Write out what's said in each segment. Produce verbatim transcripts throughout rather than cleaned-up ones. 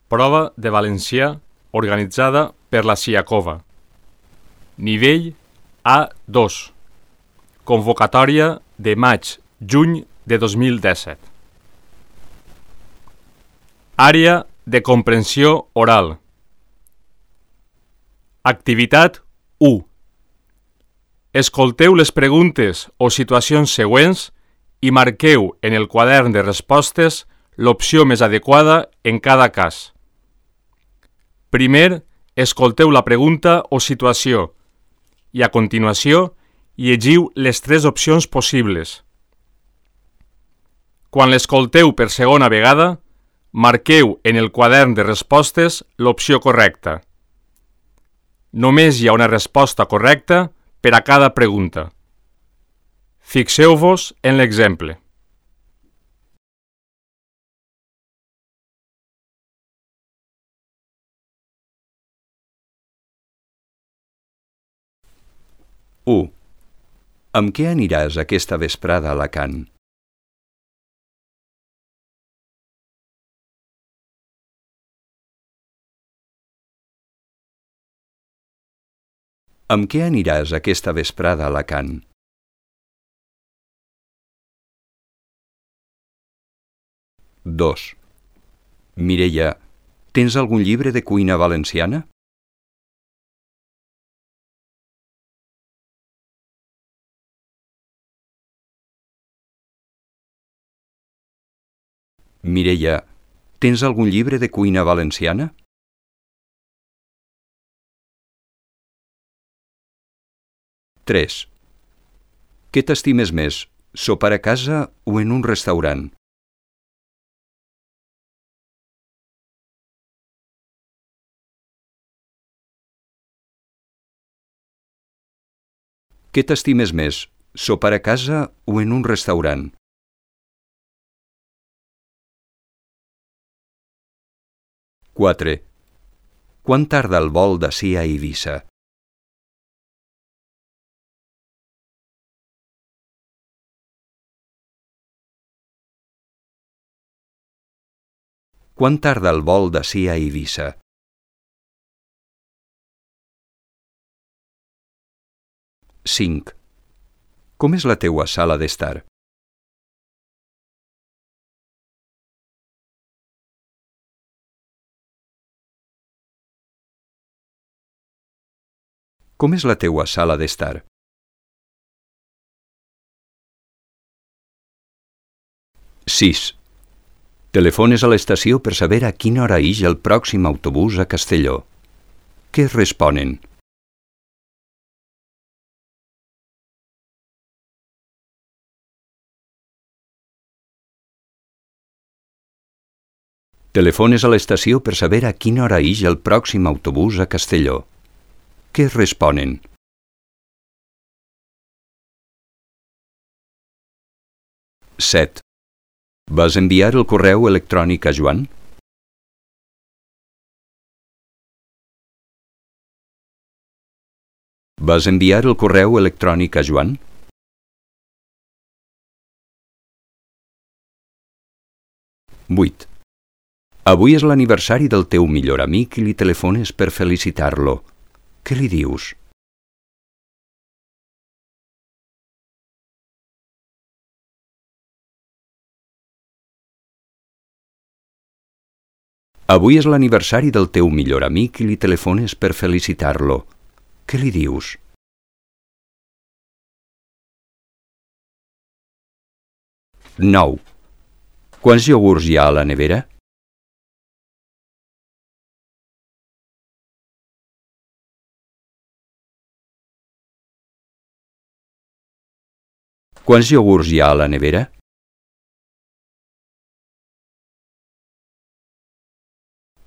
Prova de valencià organitzada per la Siakova. Nivell A dos. Convocatòria de maig-juny de dos mil disset. Àrea de comprensió oral. Activitat u. Escolteu les preguntes o situacions següents i marqueu en el quadern de respostes l'opció més adequada en cada cas. Primer, escolteu la pregunta o situació i a continuació llegiu les tres opcions possibles. Quan l'escolteu per segona vegada, marqueu en el quadern de respostes l'opció correcta. Només hi ha una resposta correcta per a cada pregunta. Fixeu-vos en l'exemple. u. Amb què aniràs aquesta vesprada a Alacant? Amb què aniràs aquesta vesprada a Alacant? dos. Mireia, tens algun llibre de cuina valenciana? Mireia, tens algun llibre de cuina valenciana? tres. Què t'estimes més, sopar a casa o en un restaurant? Què t'estimes més, sopar a casa o en un restaurant? quatre. Quan tarda el vol d'ací a Eivissa? Quan tarda el vol d'ací a Eivissa? cinc. Com és la teua sala d'estar? Com és la teua sala d'estar? sis. Telefones a l'estació per saber a quina hora ix el pròxim autobús a Castelló. Què es responen? Telefones a l'estació per saber a quina hora ix el pròxim autobús a Castelló. Què es responen? set. Vas enviar el correu electrònic a Joan? Vas enviar el correu electrònic a Joan? vuit. Avui és l'aniversari del teu millor amic i li telefones per felicitar-lo. Què li dius? Avui és l'aniversari del teu millor amic i li telefones per felicitar-lo. Què li dius? nou. Quants iogurts hi ha a la nevera? Quants iogurts hi ha a la nevera?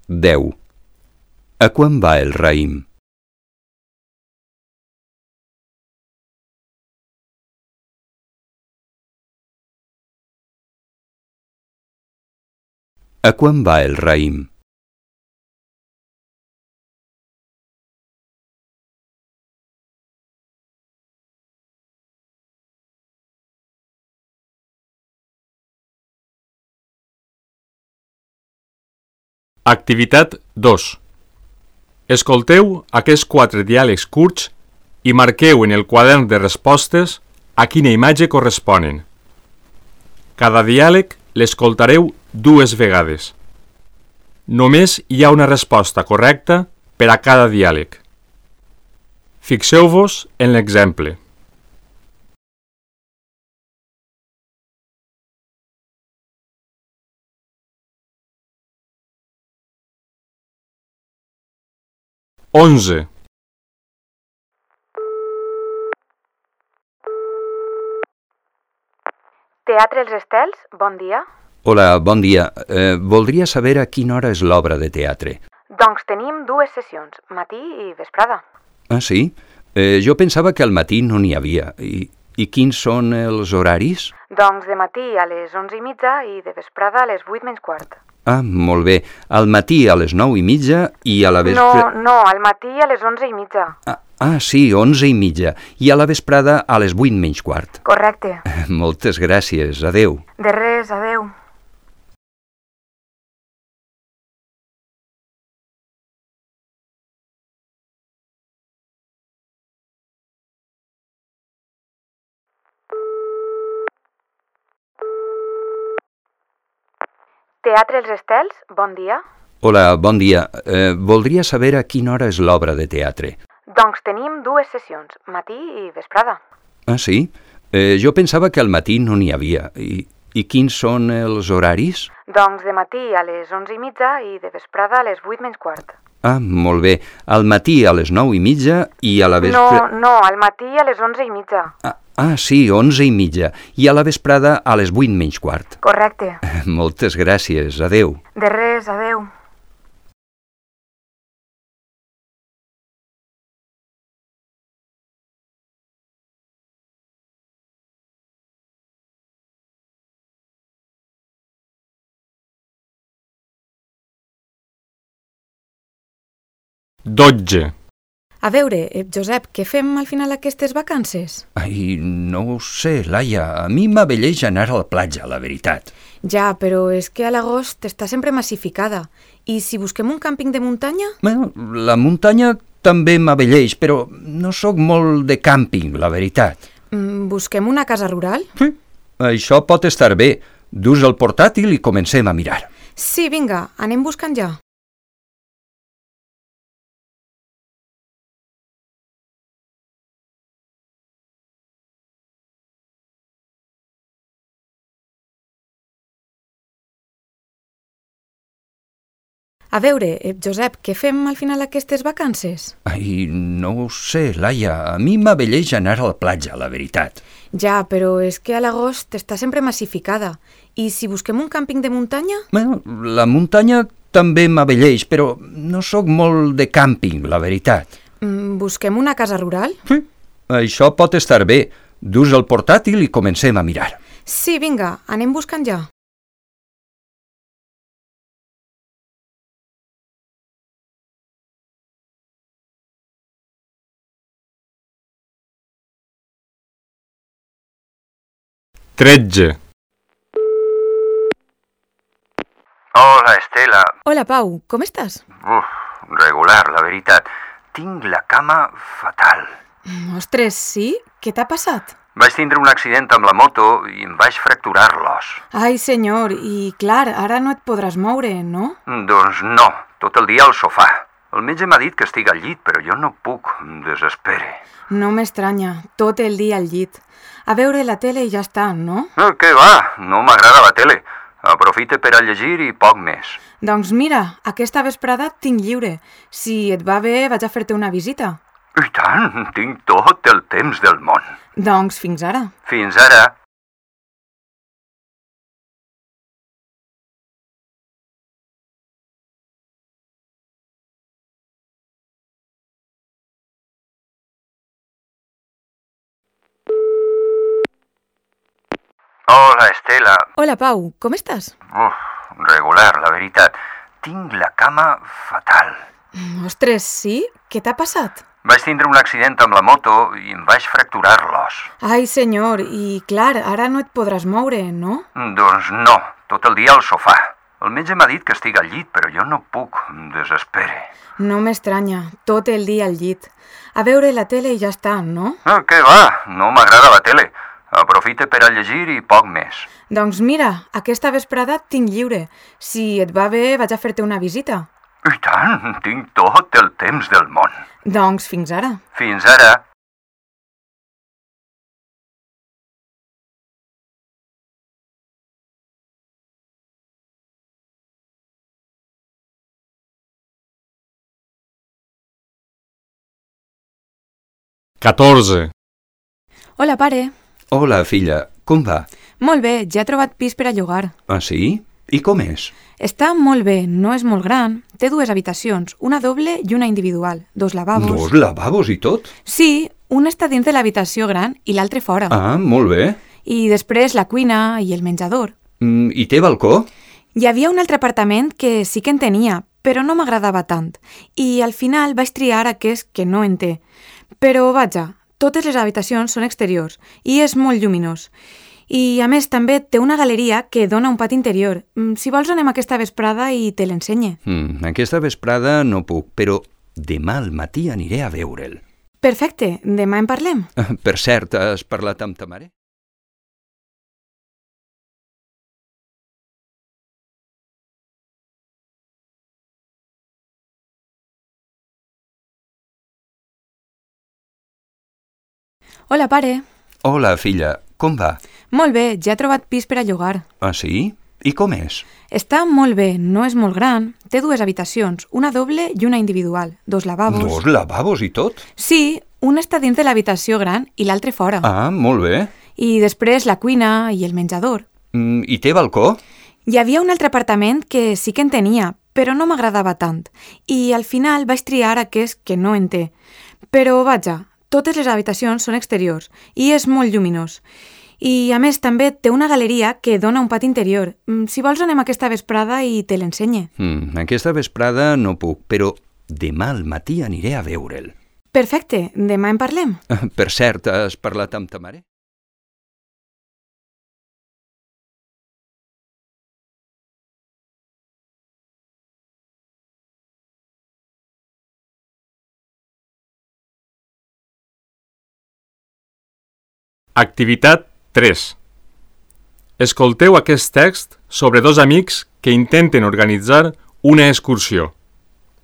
deu. A quan va el raïm? A quan va el raïm? Activitat dos. Escolteu aquests quatre diàlegs curts i marqueu en el quadern de respostes a quina imatge corresponen. Cada diàleg l'escoltareu dues vegades. Només hi ha una resposta correcta per a cada diàleg. Fixeu-vos en l'exemple. onze. Teatre Els Estels, bon dia. Hola, bon dia. Eh, voldria saber a quina hora és l'obra de teatre. Doncs tenim dues sessions, matí i vesprada. Ah, sí? Eh, jo pensava que al matí no n'hi havia. I, I quins són els horaris? Doncs de matí a les onze i mitja i de vesprada a les vuit menys quart. Ah, molt bé. Al matí a les nou i mitja i a la No, vespre... no, al matí a les onze i mitja. Ah, ah, sí, onze i mitja. I a la vesprada a les vuit menys quart. Correcte. Moltes gràcies. Adeu. De res, adeu. Teatre Els Estels, bon dia. Hola, bon dia. Eh, voldria saber a quina hora és l'obra de teatre. Doncs tenim dues sessions, matí i vesprada. Ah, sí? Eh, jo pensava que al matí no n'hi havia. I, I quins són els horaris? Doncs de matí a les onze i mitja i de vesprada a les vuit menys quart. Ah, molt bé. Al matí a les nou i mitja i a la No, vespre... no, al matí a les onze i mitja. Ah, ah, sí, onze i mitja. I a la vesprada a les vuit menys quart. Correcte. Moltes gràcies. Adeu. De res, adeu. dotze. A veure, eh, Josep, què fem al final d'aquestes vacances? Ai, no ho sé, Laia. A mi m'abelleix anar a la platja, la veritat. Ja, però és que a l'agost està sempre massificada. I si busquem un càmping de muntanya? Bueno, la muntanya també m'abelleix, però no sóc molt de càmping, la veritat. Mm, busquem una casa rural? Sí. Això pot estar bé. Dus el portàtil i comencem a mirar. Sí, vinga, anem buscant ja. A veure, eh, Josep, què fem al final d'aquestes vacances? Ai, no ho sé, Laia. A mi m'abelleix anar a la platja, la veritat. Ja, però és que a l'agost està sempre massificada. I si busquem un càmping de muntanya? Bueno, la muntanya també m'abelleix, però no sóc molt de càmping, la veritat. Mm, busquem una casa rural? Sí. Això pot estar bé. Dus el portàtil i comencem a mirar. Sí, vinga, anem buscant ja. tretze. Hola, Estela. Hola, Pau, com estàs? Uf, regular, la veritat. Tinc la cama fatal. Mm, ostres, sí? Què t'ha passat? Vaig tindre un accident amb la moto i em vaig fracturar l'os. Ai, senyor, i clar, ara no et podràs moure, no? Doncs no, tot el dia al sofà. El metge m'ha dit que estic al llit, però jo no puc, em desespere. No m'estranya, tot el dia al llit. A veure la tele i ja està, no? Eh, què va? No m'agrada la tele. Aprofita per a llegir i poc més. Doncs mira, aquesta vesprada et tinc lliure. Si et va bé, vaig a fer-te una visita. I tant, tinc tot el temps del món. Doncs fins ara. Fins ara. Hola, Estela. Hola, Pau, com estàs? Uf, regular, la veritat. Tinc la cama fatal. Mm, ostres, sí? Què t'ha passat? Vaig tindre un accident amb la moto i em vaig fracturar l'os. Ai, senyor, i clar, ara no et podràs moure, no? Doncs no, tot el dia al sofà. El metge m'ha dit que estic al llit, però jo no puc. Em desespere. No m'estranya, tot el dia al llit. A veure la tele i ja està, no? Ah, què va? No m'agrada la tele. Aprofite per a llegir i poc més. Doncs mira, aquesta vesprada tinc lliure. Si et va bé, vaig a fer-te una visita. I tant, tinc tot el temps del món. Doncs fins ara. Fins ara. catorze. Hola, pare. Hola, filla. Com va? Molt bé, ja he trobat pis per a llogar. Ah, sí? I com és? Està molt bé, no és molt gran. Té dues habitacions, una doble i una individual. Dos lavabos. Dos lavabos i tot? Sí, un està dins de l'habitació gran i l'altre fora. Ah, molt bé. I després la cuina i el menjador. Mm, I té balcó? Hi havia un altre apartament que sí que en tenia, però no m'agradava tant. I al final vaig triar aquest que no en té. Però vaja, totes les habitacions són exteriors i és molt lluminós. I a més també té una galeria que dona un pati interior. Si vols anem aquesta vesprada i te l'ensenye. Mm, aquesta vesprada no puc, però demà al matí aniré a veure'l. Perfecte, demà en parlem. Per cert, has parlat amb ta mare? Hola, pare. Hola, filla. Com va? Molt bé, ja he trobat pis per a llogar. Ah, sí? I com és? Està molt bé, no és molt gran. Té dues habitacions, una doble i una individual. Dos lavabos. Dos lavabos i tot? Sí, un està dins de l'habitació gran i l'altre fora. Ah, molt bé. I després la cuina i el menjador. Mm, I té balcó? Hi havia un altre apartament que sí que en tenia, però no m'agradava tant. I al final vaig triar aquest que no en té. Però vaja, totes les habitacions són exteriors i és molt lluminós. I a més també té una galeria que dona un pati interior. Si vols anem aquesta vesprada i te l'ensenye. Mm, aquesta vesprada no puc, però demà al matí aniré a veure'l. Perfecte, demà en parlem. Per cert, has parlat amb ta mare? Activitat tres. Escolteu aquest text sobre dos amics que intenten organitzar una excursió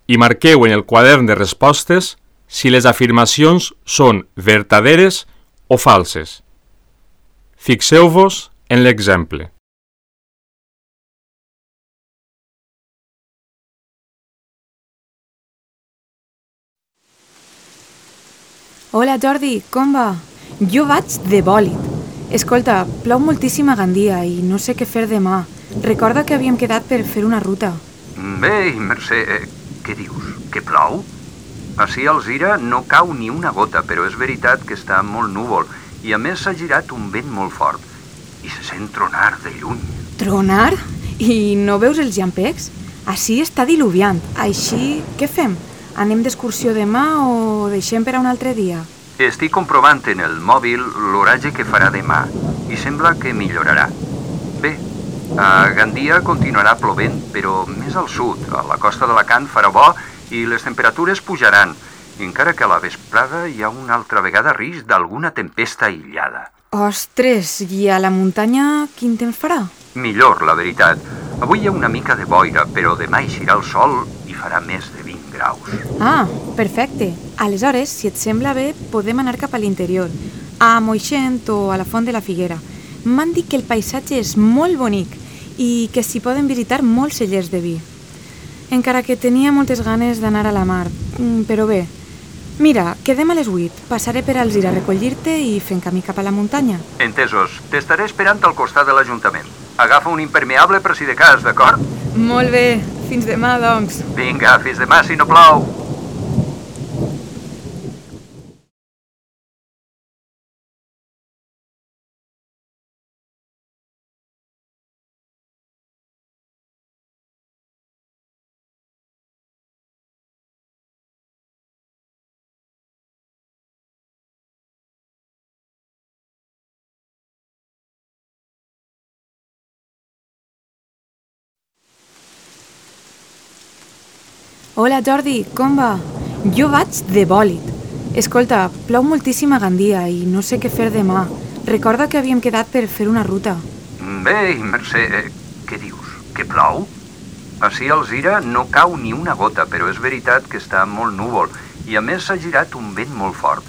i marqueu en el quadern de respostes si les afirmacions són vertaderes o falses. Fixeu-vos en l'exemple. Hola, Jordi, com va? Jo vaig de bòlit. Escolta, plou moltíssim a Gandia i no sé què fer demà. Recorda que havíem quedat per fer una ruta. Bé, Mercè, eh, què dius? Que plou? Ací a Alzira no cau ni una gota, però és veritat que està molt núvol i a més s'ha girat un vent molt fort i se sent tronar de lluny. Tronar? I no veus els llampecs? Ací està diluviant. Així, què fem? Anem d'excursió demà o deixem per a un altre dia? Estic comprovant en el mòbil l'oratge que farà demà i sembla que millorarà. Bé, a Gandia continuarà plovent, però més al sud, a la costa d'Alacant farà bo i les temperatures pujaran, encara que a la vesprada hi ha una altra vegada risc d'alguna tempesta aïllada. Ostres, i a la muntanya quin temps farà? Millor, la veritat. Avui hi ha una mica de boira, però demà eixirà el sol i farà més de vint graus. Ah, perfecte. Aleshores, si et sembla bé, podem anar cap a l'interior, a Moixent o a la Font de la Figuera. M'han dit que el paisatge és molt bonic i que s'hi poden visitar molts cellers de vi. Encara que tenia moltes ganes d'anar a la mar, però bé. Mira, quedem a les vuit. Passaré per Alzira a recollir-te i fem camí cap a la muntanya. Entesos. T'estaré esperant al costat de l'Ajuntament. Agafa un impermeable per si de cas, d'acord? Molt bé. Fins demà, doncs. Vinga, fins demà si no plou. Hola Jordi, com va? Jo vaig de bòlit. Escolta, plou moltíssim a Gandia i no sé què fer demà. Recorda que havíem quedat per fer una ruta. Bé, Mercè, eh, què dius? Que plou? Ací a Alzira no cau ni una gota, però és veritat que està molt núvol i a més s'ha girat un vent molt fort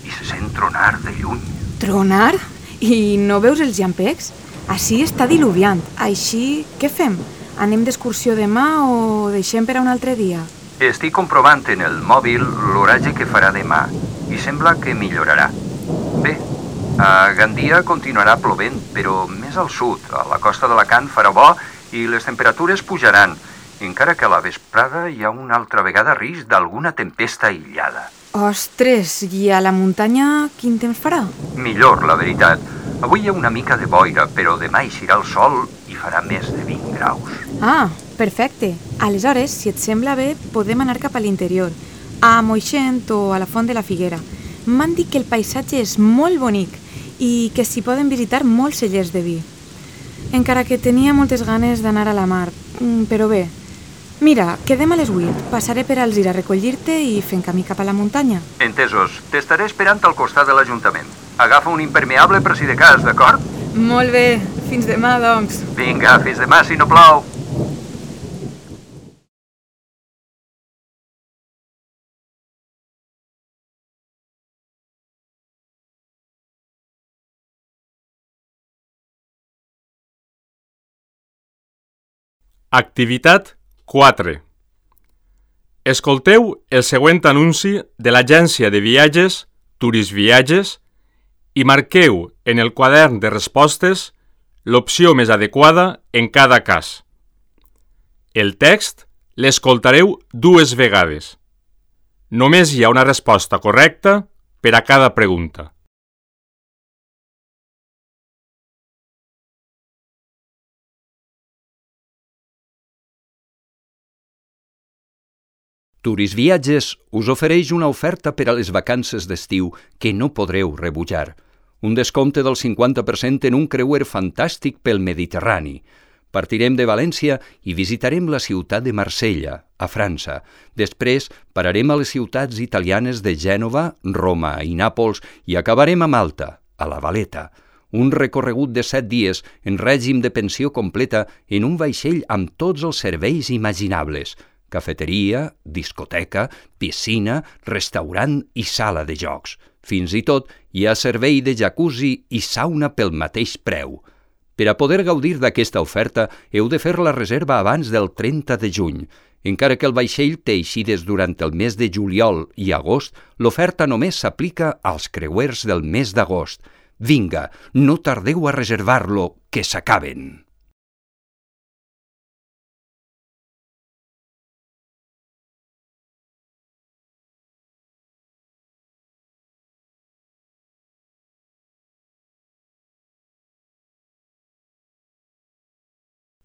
i se sent tronar de lluny. Tronar? I no veus els llampecs? Ací està diluviant. Així, què fem? Anem d'excursió demà o deixem per a un altre dia? Estic comprovant en el mòbil l'oratge que farà demà i sembla que millorarà. Bé, a Gandia continuarà plovent, però més al sud, a la costa d'Alacant farà bo i les temperatures pujaran, encara que a la vesprada hi ha una altra vegada risc d'alguna tempesta aïllada. Ostres, i a la muntanya quin temps farà? Millor, la veritat. Avui hi ha una mica de boira, però demà eixirà el sol i farà més de vint graus. Ah, perfecte. Aleshores, si et sembla bé, podem anar cap a l'interior, a Moixent o a la Font de la Figuera. M'han dit que el paisatge és molt bonic i que s'hi poden visitar molts cellers de vi. Encara que tenia moltes ganes d'anar a la mar, però bé. Mira, quedem a les vuit. Passaré per Alzira a recollir-te i fem camí cap a la muntanya. Entesos. T'estaré esperant al costat de l'Ajuntament. Agafa un impermeable per si de cas, d'acord? Molt bé. Fins demà, doncs. Vinga, fins demà si no plou. Activitat quatre. Escolteu el següent anunci de l'agència de viatges Turisviatges i marqueu en el quadern de respostes l'opció més adequada en cada cas. El text l'escoltareu dues vegades. Només hi ha una resposta correcta per a cada pregunta. Turisviatges us ofereix una oferta per a les vacances d'estiu que no podreu rebutjar. Un descompte del cinquanta per cent en un creuer fantàstic pel Mediterrani. Partirem de València i visitarem la ciutat de Marsella, a França. Després pararem a les ciutats italianes de Gènova, Roma i Nàpols i acabarem a Malta, a la Valeta. Un recorregut de set dies en règim de pensió completa en un vaixell amb tots els serveis imaginables. Cafeteria, discoteca, piscina, restaurant i sala de jocs. Fins i tot hi ha servei de jacuzzi i sauna pel mateix preu. Per a poder gaudir d'aquesta oferta heu de fer la reserva abans del trenta de juny. Encara que el vaixell té eixides durant el mes de juliol i agost, l'oferta només s'aplica als creuers del mes d'agost. Vinga, no tardeu a reservar-lo, que s'acaben.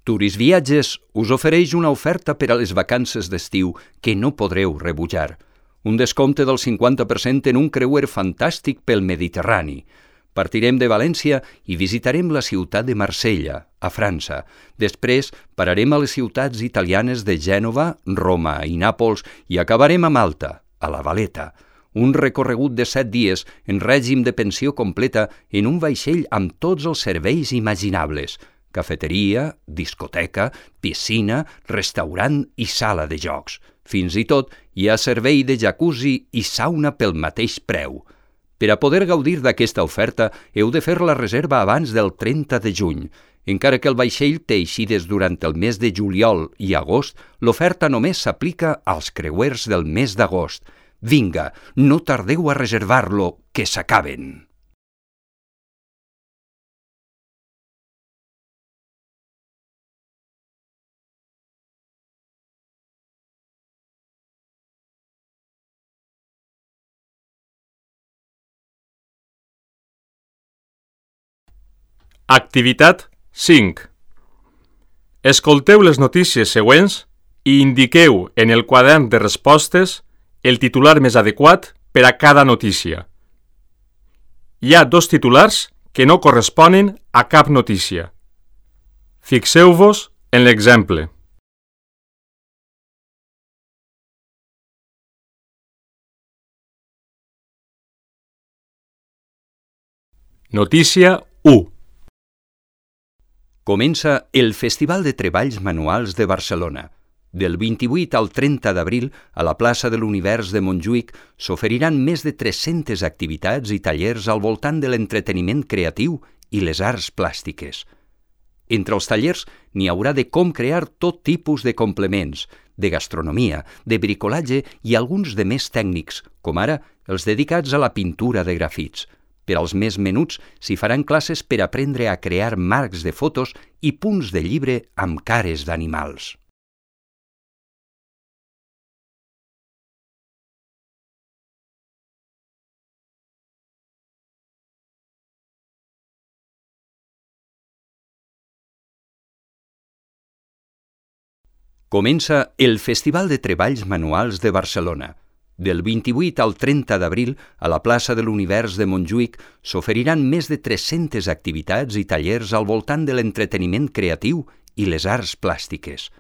Turisviatges us ofereix una oferta per a les vacances d'estiu que no podreu rebutjar. Un descompte del cinquanta per cent en un creuer fantàstic pel Mediterrani. Partirem de València i visitarem la ciutat de Marsella, a França. Després pararem a les ciutats italianes de Gènova, Roma i Nàpols i acabarem a Malta, a la Valeta. Un recorregut de set dies en règim de pensió completa en un vaixell amb tots els serveis imaginables. Cafeteria, discoteca, piscina, restaurant i sala de jocs. Fins i tot hi ha servei de jacuzzi i sauna pel mateix preu. Per a poder gaudir d'aquesta oferta heu de fer la reserva abans del trenta de juny. Encara que el vaixell té eixides durant el mes de juliol i agost, l'oferta només s'aplica als creuers del mes d'agost. Vinga, no tardeu a reservar-lo, que s'acaben. Activitat cinc. Escolteu les notícies següents i indiqueu en el quadern de respostes el titular més adequat per a cada notícia. Hi ha dos titulars que no corresponen a cap notícia. Fixeu-vos en l'exemple. Notícia u. Comença el Festival de Treballs Manuals de Barcelona. Del vint-i-vuit al trenta d'abril, a la plaça de l'Univers de Montjuïc s'oferiran més de tres-centes activitats i tallers al voltant de l'entreteniment creatiu i les arts plàstiques. Entre els tallers n'hi haurà de com crear tot tipus de complements, de gastronomia, de bricolatge i alguns de més tècnics, com ara els dedicats a la pintura de grafits. Per als més menuts s'hi faran classes per aprendre a crear marcs de fotos i punts de llibre amb cares d'animals. Comença el Festival de Treballs Manuals de Barcelona. Del vint-i-vuit al trenta d'abril, a la plaça de l'Univers de Montjuïc s'oferiran més de tres-centes activitats i tallers al voltant de l'entreteniment creatiu i les arts plàstiques.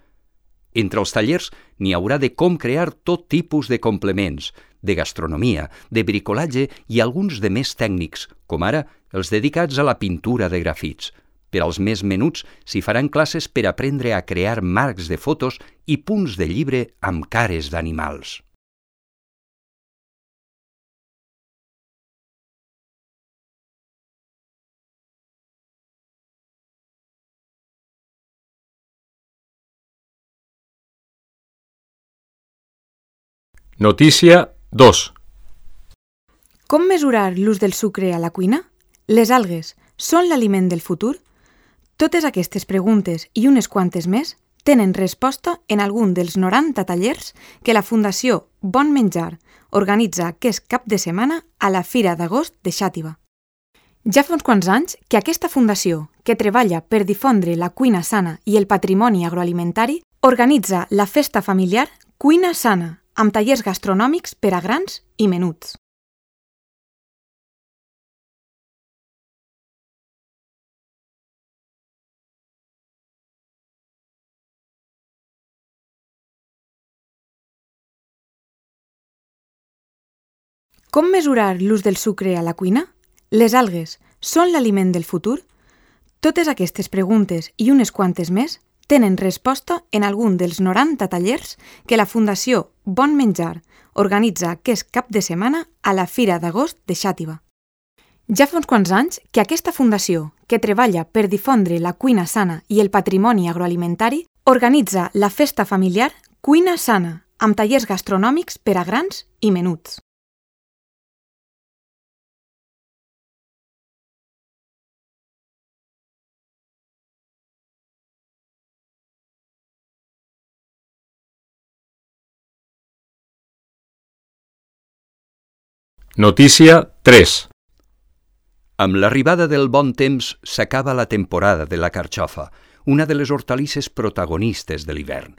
Entre els tallers n'hi haurà de com crear tot tipus de complements, de gastronomia, de bricolatge i alguns de més tècnics, com ara els dedicats a la pintura de grafits. Per als més menuts s'hi faran classes per aprendre a crear marcs de fotos i punts de llibre amb cares d'animals. Notícia dos. Com mesurar l'ús del sucre a la cuina? Les algues són l'aliment del futur? Totes aquestes preguntes i unes quantes més tenen resposta en algun dels noranta tallers que la Fundació Bon Menjar organitza aquest cap de setmana a la Fira d'Agost de Xàtiva. Ja fa uns quants anys que aquesta fundació, que treballa per difondre la cuina sana i el patrimoni agroalimentari, organitza la festa familiar Cuina Sana, amb tallers gastronòmics per a grans i menuts. Com mesurar l'ús del sucre a la cuina? Les algues són l'aliment del futur? Totes aquestes preguntes i unes quantes més tenen resposta en algun dels noranta tallers que la Fundació Bon Menjar organitza aquest cap de setmana a la Fira d'Agost de Xàtiva. Ja fa uns quants anys que aquesta fundació, que treballa per difondre la cuina sana i el patrimoni agroalimentari, organitza la festa familiar Cuina Sana, amb tallers gastronòmics per a grans i menuts. Notícia tres. Amb l'arribada del bon temps s'acaba la temporada de la carxofa, una de les hortalisses protagonistes de l'hivern.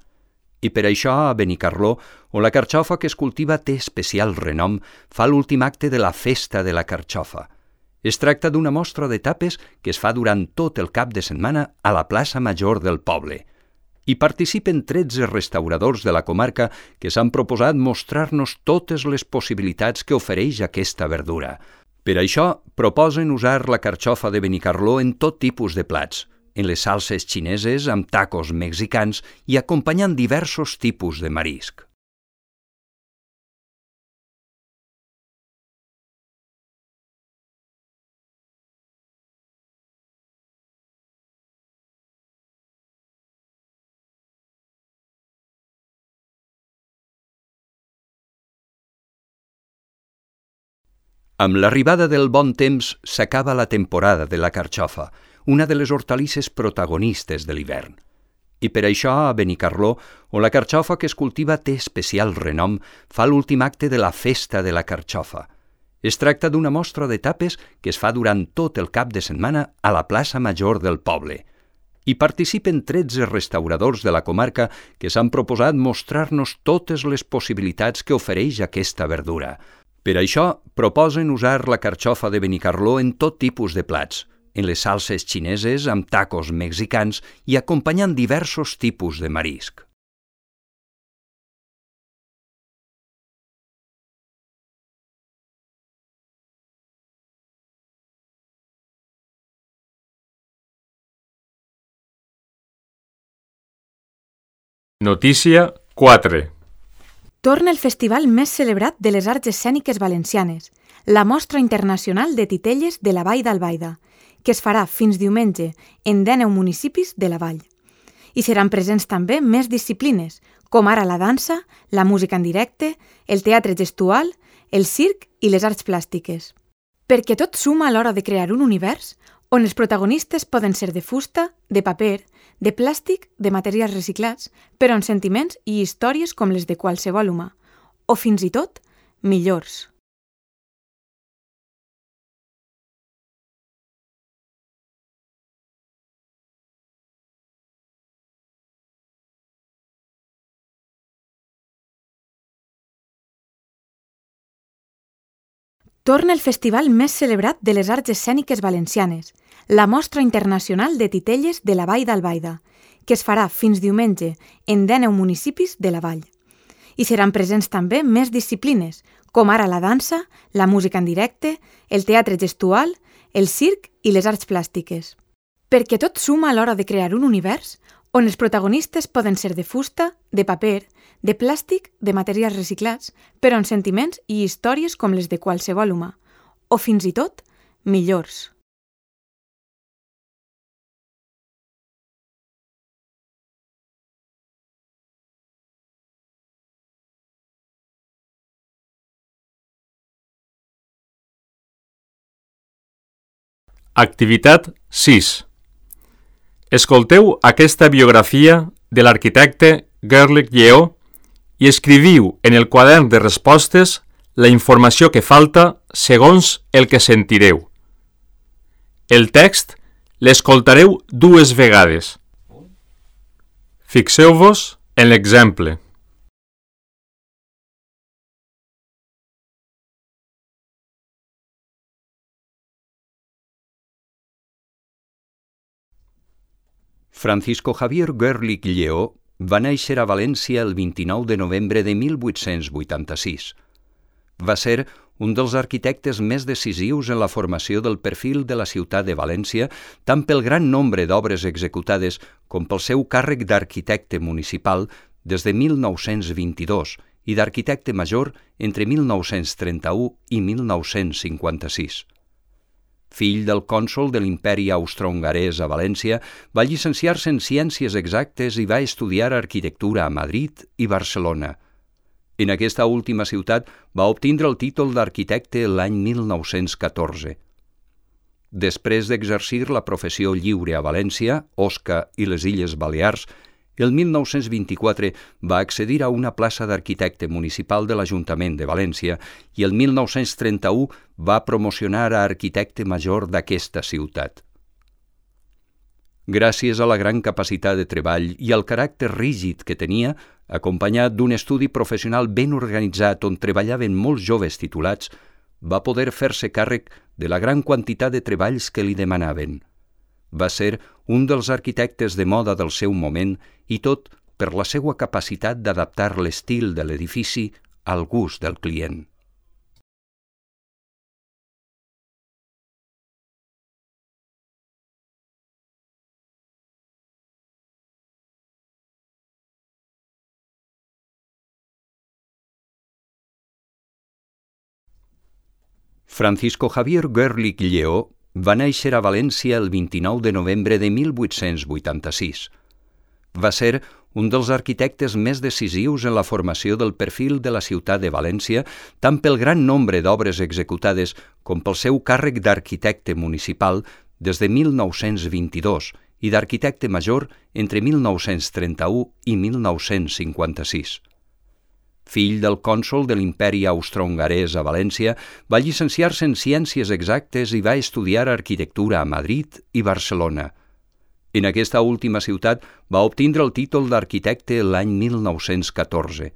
I per això a Benicarló, on la carxofa que es cultiva té especial renom, fa l'últim acte de la Festa de la Carxofa. Es tracta d'una mostra de tapes que es fa durant tot el cap de setmana a la plaça Major del poble. Hi participen tretze restauradors de la comarca que s'han proposat mostrar-nos totes les possibilitats que ofereix aquesta verdura. Per això, proposen usar la carxofa de Benicarló en tot tipus de plats, en les salses xineses, amb tacos mexicans i acompanyant diversos tipus de marisc. Amb l'arribada del bon temps s'acaba la temporada de la carxofa, una de les hortalisses protagonistes de l'hivern. I per això a Benicarló, on la carxofa que es cultiva té especial renom, fa l'últim acte de la Festa de la Carxofa. Es tracta d'una mostra de tapes que es fa durant tot el cap de setmana a la plaça Major del poble. Hi participen tretze restauradors de la comarca que s'han proposat mostrar-nos totes les possibilitats que ofereix aquesta verdura. Per això, proposen usar la carxofa de Benicarló en tot tipus de plats, en les salses xineses, amb tacos mexicans i acompanyant diversos tipus de marisc. Notícia quatre. Torna el festival més celebrat de les arts escèniques valencianes, la Mostra Internacional de Titelles de la Vall d'Albaida, que es farà fins diumenge en dinou municipis de la vall. Hi seran presents també més disciplines, com ara la dansa, la música en directe, el teatre gestual, el circ i les arts plàstiques. Perquè tot suma a l'hora de crear un univers on els protagonistes poden ser de fusta, de paper, de plàstic, de materials reciclats, però amb sentiments i històries com les de qualsevol humà, o fins i tot millors. Torna el festival més celebrat de les arts escèniques valencianes, la Mostra Internacional de Titelles de la Vall d'Albaida, que es farà fins diumenge en dinou municipis de la vall. Hi seran presents també més disciplines, com ara la dansa, la música en directe, el teatre gestual, el circ i les arts plàstiques. Perquè tot suma a l'hora de crear un univers on els protagonistes poden ser de fusta, de paper, de plàstic, de materials reciclats, però amb sentiments i històries com les de qualsevol humà, o fins i tot millors. Activitat sis. Escolteu aquesta biografia de l'arquitecte Gerlich Lleó i escriviu en el quadern de respostes la informació que falta segons el que sentireu. El text l'escoltareu dues vegades. Fixeu-vos en l'exemple. Francisco Javier Gerlich Lleó va néixer a València el vint-i-nou de novembre de mil vuit-cents vuitanta-sis. Va ser un dels arquitectes més decisius en la formació del perfil de la ciutat de València, tant pel gran nombre d'obres executades com pel seu càrrec d'arquitecte municipal des de mil nou-cents vint-i-dos i d'arquitecte major entre mil nou-cents trenta-u i mil nou-cents cinquanta-sis. Fill del cònsol de l'Imperi Austrohongarès a València, va llicenciar-se en Ciències Exactes i va estudiar arquitectura a Madrid i Barcelona. En aquesta última ciutat va obtindre el títol d'arquitecte l'any mil nou-cents catorze. Després d'exercir la professió lliure a València, Osca i les Illes Balears, el mil nou-cents vint-i-quatre va accedir a una plaça d'arquitecte municipal de l'Ajuntament de València i el mil nou-cents trenta-u va promocionar a arquitecte major d'aquesta ciutat. Gràcies a la gran capacitat de treball i al caràcter rígid que tenia, acompanyat d'un estudi professional ben organitzat on treballaven molts joves titulats, va poder fer-se càrrec de la gran quantitat de treballs que li demanaven. Va ser un dels arquitectes de moda del seu moment i tot per la seva capacitat d'adaptar l'estil de l'edifici al gust del client. Francisco Javier Gerlich Lleó va néixer a València el vint-i-nou de novembre de mil vuit-cents vuitanta-sis. Va ser un dels arquitectes més decisius en la formació del perfil de la ciutat de València, tant pel gran nombre d'obres executades com pel seu càrrec d'arquitecte municipal des de mil nou-cents vint-i-dos i d'arquitecte major entre mil nou-cents trenta-u i mil nou-cents cinquanta-sis. Fill del cònsol de l'Imperi Austrohongarès a València, va llicenciar-se en Ciències Exactes i va estudiar arquitectura a Madrid i Barcelona. En aquesta última ciutat va obtindre el títol d'arquitecte l'any mil nou-cents catorze.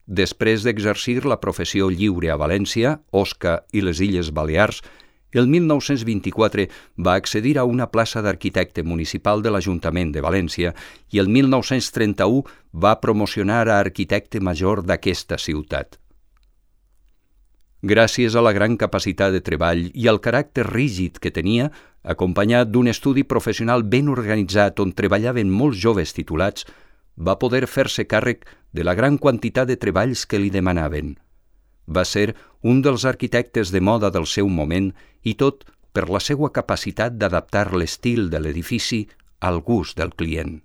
Després d'exercir la professió lliure a València, Osca i les Illes Balears, el mil nou-cents vint-i-quatre va accedir a una plaça d'arquitecte municipal de l'Ajuntament de València i el mil nou-cents trenta-u va promocionar a arquitecte major d'aquesta ciutat. Gràcies a la gran capacitat de treball i al caràcter rígid que tenia, acompanyat d'un estudi professional ben organitzat on treballaven molts joves titulats, va poder fer-se càrrec de la gran quantitat de treballs que li demanaven. Va ser un dels arquitectes de moda del seu moment i tot per la seva capacitat d'adaptar l'estil de l'edifici al gust del client.